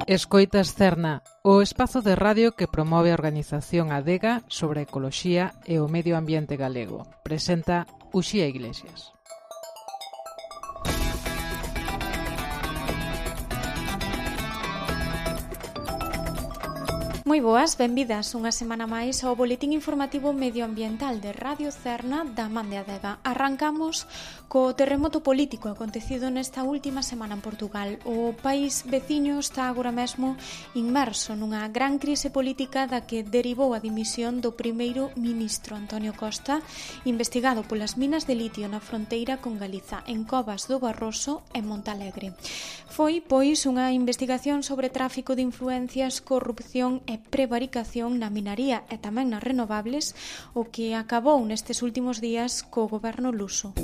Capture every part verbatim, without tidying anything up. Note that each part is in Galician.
Escoitas Cerna, o espazo de radio que promove a organización Adega sobre ecoloxía e o medio ambiente galego. Presenta Uxía Iglesias. Moi boas, benvidas unha semana máis ao boletín informativo medioambiental de Radio Cerna da Man de Adega. Arrancamos co terremoto político acontecido nesta última semana en Portugal. O país veciño está agora mesmo inmerso nunha gran crise política da que derivou a dimisión do primeiro ministro Antonio Costa, investigado polas minas de litio na fronteira con Galiza, en Covas do Barroso e Montalegre. Foi, pois, unha investigación sobre tráfico de influencias, corrupción e prevaricación na minaría e tamén nas renovables, o que acabou nestes últimos días co goberno luso.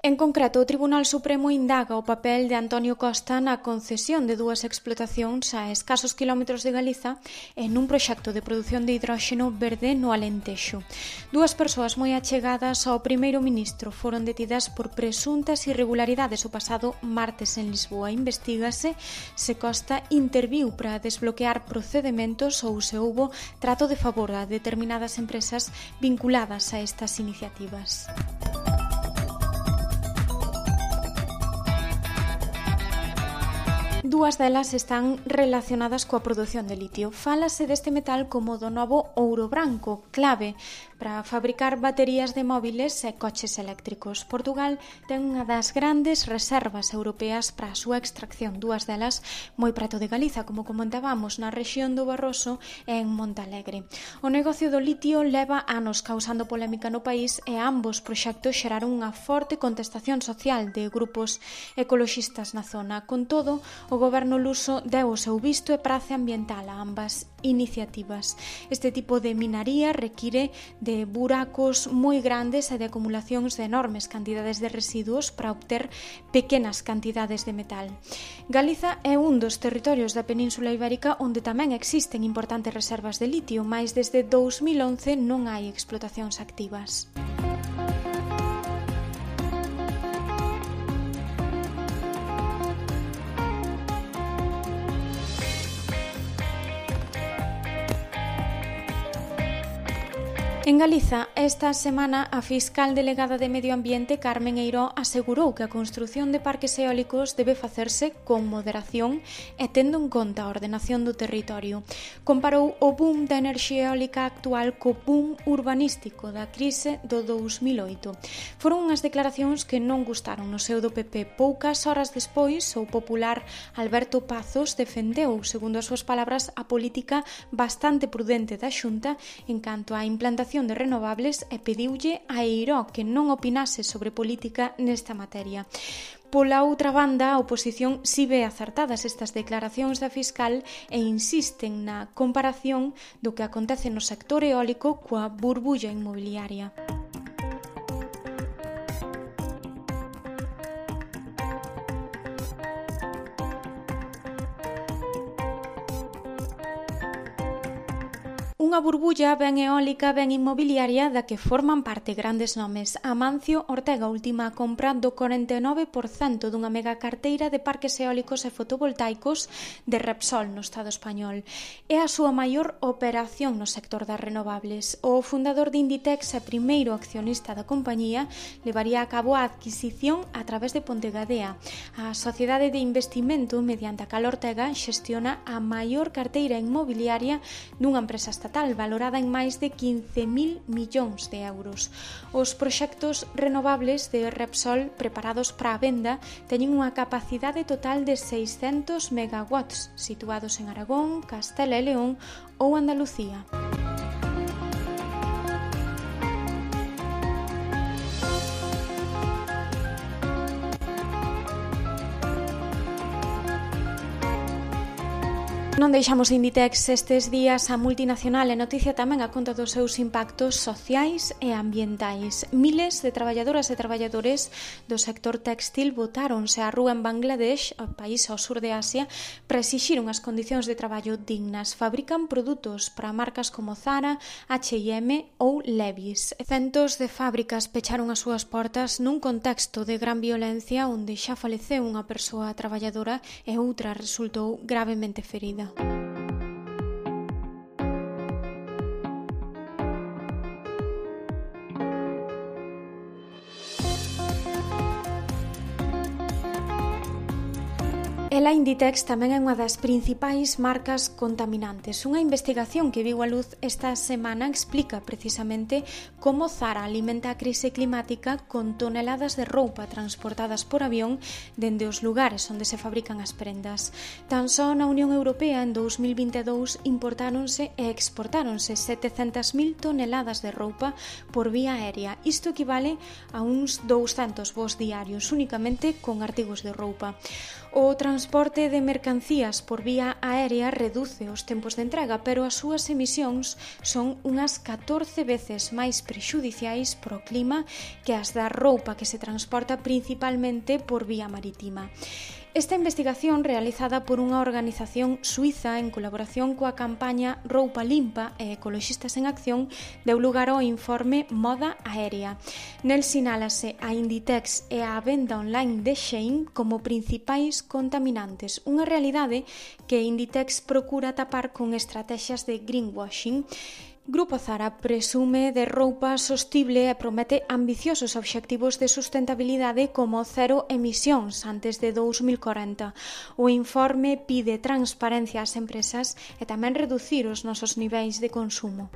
En concreto, o Tribunal Supremo indaga o papel de Antonio Costa na concesión de dúas explotacións a escasos quilómetros de Galiza e nun proxecto de produción de hidróxeno verde no Alentexo. Dúas persoas moi achegadas ao primeiro ministro foron detidas por presuntas irregularidades o pasado martes en Lisboa. Investígase se Costa interviu para desbloquear procedementos ou se houbo trato de favor a determinadas empresas vinculadas a estas iniciativas. Dúas delas están relacionadas coa produción de litio. Fálase deste metal como do novo ouro branco, clave para fabricar baterías de móviles e coches eléctricos. Portugal ten unha das grandes reservas europeas para a súa extracción, dúas delas moi preto de Galiza, como comentábamos, na rexión do Barroso e en Montalegre. O negocio do litio leva anos causando polémica no país e ambos proxectos xeraron unha forte contestación social de grupos ecoloxistas na zona. Con todo, o goberno luso deu o seu visto e prace ambiental a ambas iniciativas. Este tipo de minaría require de buracos moi grandes e de acumulacións de enormes cantidades de residuos para obter pequenas cantidades de metal. Galiza é un dos territorios da Península Ibérica onde tamén existen importantes reservas de litio, mais desde dous mil once non hai explotacións activas. En Galiza, esta semana, a fiscal delegada de Medio Ambiente, Carmen Eiró, asegurou que a construción de parques eólicos debe facerse con moderación e tendo en conta a ordenación do territorio. Comparou o boom da enerxía eólica actual co boom urbanístico da crise do dous mil oito. Foron unhas declaracións que non gustaron no seu do P P. Poucas horas despois, o popular Alberto Pazos defendeu, segundo as súas palabras, a política bastante prudente da Xunta en canto á implantación de renovables e pediulle a Eiró que non opinase sobre política nesta materia. Pola outra banda, a oposición si ve acertadas estas declaracións da fiscal e insisten na comparación do que acontece no sector eólico coa burbulla inmobiliaria. Unha burbulla ben eólica, ben inmobiliaria da que forman parte grandes nomes. Amancio Ortega última a compra do corenta e nove por cento dunha mega carteira de parques eólicos e fotovoltaicos de Repsol no Estado español. É a súa maior operación no sector das renovables. O fundador de Inditex e primeiro accionista da compañía levaría a cabo a adquisición a través de Pontegadea. A sociedade de investimento mediante a cal Ortega xestiona a maior carteira inmobiliaria dunha empresa estatal valorada en máis de quince mil millóns de euros. Os proxectos renovables de Repsol preparados para a venda teñen unha capacidade total de seiscentos megawatts, situados en Aragón, Castela e León ou Andalucía. Non deixamos Inditex estes días. A multinacional é noticia tamén a conta dos seus impactos sociais e ambientais. Miles de traballadoras e traballadores do sector textil botáronse á rúa en Bangladesh, o país ao sur de Asia, para exixir unhas condicións de traballo dignas. Fabrican produtos para marcas como Zara, H e M ou Levi's. Centos de fábricas pecharon as súas portas nun contexto de gran violencia onde xa faleceu unha persoa traballadora e outra resultou gravemente ferida. Ela Inditex tamén é unha das principais marcas contaminantes. Unha investigación que viu a luz esta semana explica precisamente como Zara alimenta a crise climática con toneladas de roupa transportadas por avión dende os lugares onde se fabrican as prendas. Tan só na Unión Europea en dous mil vinte e dous importáronse e exportáronse setecentas mil toneladas de roupa por vía aérea. Isto equivale a uns douscentos voos diarios únicamente con artigos de roupa. O transporte de mercancías por vía aérea reduce os tempos de entrega, pero as súas emisións son unhas catorce veces máis prexudiciais para o clima que as da roupa que se transporta principalmente por vía marítima. Esta investigación, realizada por unha organización suiza en colaboración coa campaña Roupa Limpa e Ecoloxistas en Acción, deu lugar ao informe Moda Aérea. Nel sinálase a Inditex e a venda online de Shein como principais contaminantes, unha realidade que Inditex procura tapar con estrategias de greenwashing. Grupo Zara presume de roupa sostible e promete ambiciosos obxectivos de sustentabilidade como cero emisións antes de dous mil corenta. O informe pide transparencia ás empresas e tamén reducir os nosos niveis de consumo.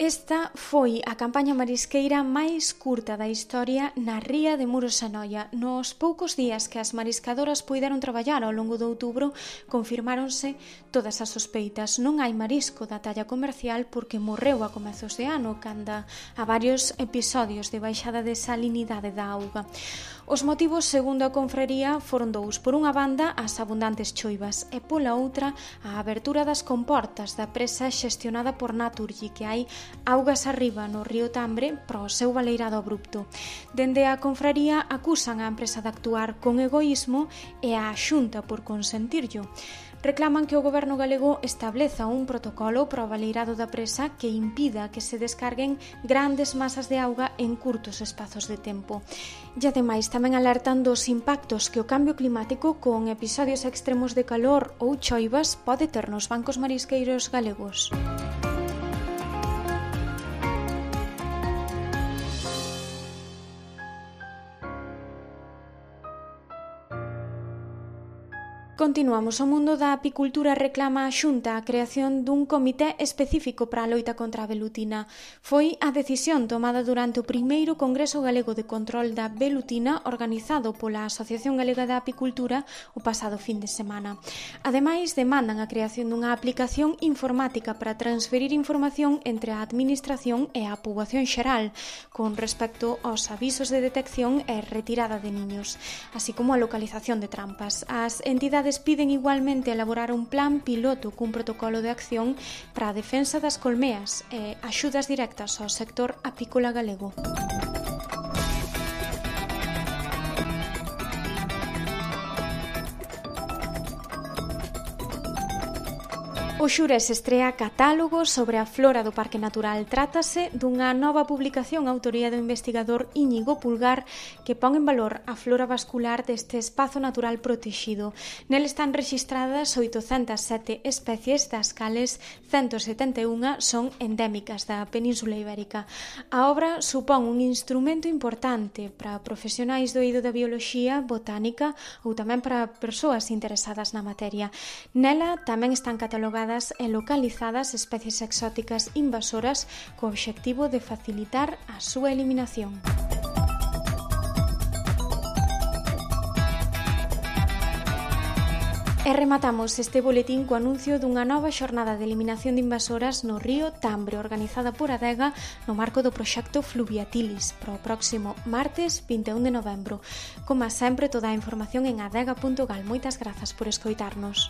Esta foi a campaña marisqueira máis curta da historia na ría de Muros e Noia. Nos poucos días que as mariscadoras puideron traballar ao longo de outubro, confirmáronse todas as sospeitas. Non hai marisco da talla comercial porque morreu a comezos de ano, canda a varios episodios de baixada de salinidade da auga. Os motivos, segundo a confraría, foron dous. Por unha banda, as abundantes choivas e pola outra, a abertura das comportas da presa xestionada por Naturgy, que hai augas arriba no río Tambre para o seu baleirado abrupto. Dende a confraría acusan a empresa de actuar con egoísmo e a Xunta por consentirllo. Reclaman que o goberno galego estableza un protocolo para o baleirado da presa que impida que se descarguen grandes masas de auga en curtos espazos de tempo. E ademais tamén alertan dos impactos que o cambio climático con episodios extremos de calor ou choivas pode ter nos bancos marisqueiros galegos. Continuamos. O mundo da apicultura reclama a Xunta a creación dun comité específico para a loita contra a velutina. Foi a decisión tomada durante o primeiro Congreso Galego de Control da Velutina organizado pola Asociación Galega da Apicultura o pasado fin de semana. Ademais, demandan a creación dunha aplicación informática para transferir información entre a Administración e a poboación xeral con respecto aos avisos de detección e retirada de niños, así como a localización de trampas. As entidades piden igualmente elaborar un plan piloto cun protocolo de acción para a defensa das colmeas e axudas directas ao sector apícola galego. O Xures estrea catálogo sobre a flora do Parque Natural. Trátase dunha nova publicación a autoría do investigador Íñigo Pulgar que pon en valor a flora vascular deste espazo natural protexido. Nel están rexistradas oitocentas sete especies, das cales ciento setenta e unha son endémicas da Península Ibérica. A obra supón un instrumento importante para profesionais do eido da bioloxía, botánica ou tamén para persoas interesadas na materia. Nela tamén están catalogadas e localizadas especies exóticas invasoras co obxectivo de facilitar a súa eliminación. E rematamos este boletín co anuncio dunha nova xornada de eliminación de invasoras no río Tambre, organizada por Adega no marco do proxecto Fluviatilis, para o próximo martes vinte e un de novembro. Como sempre, toda a información en adega punto gal. Moitas grazas por escoitarnos.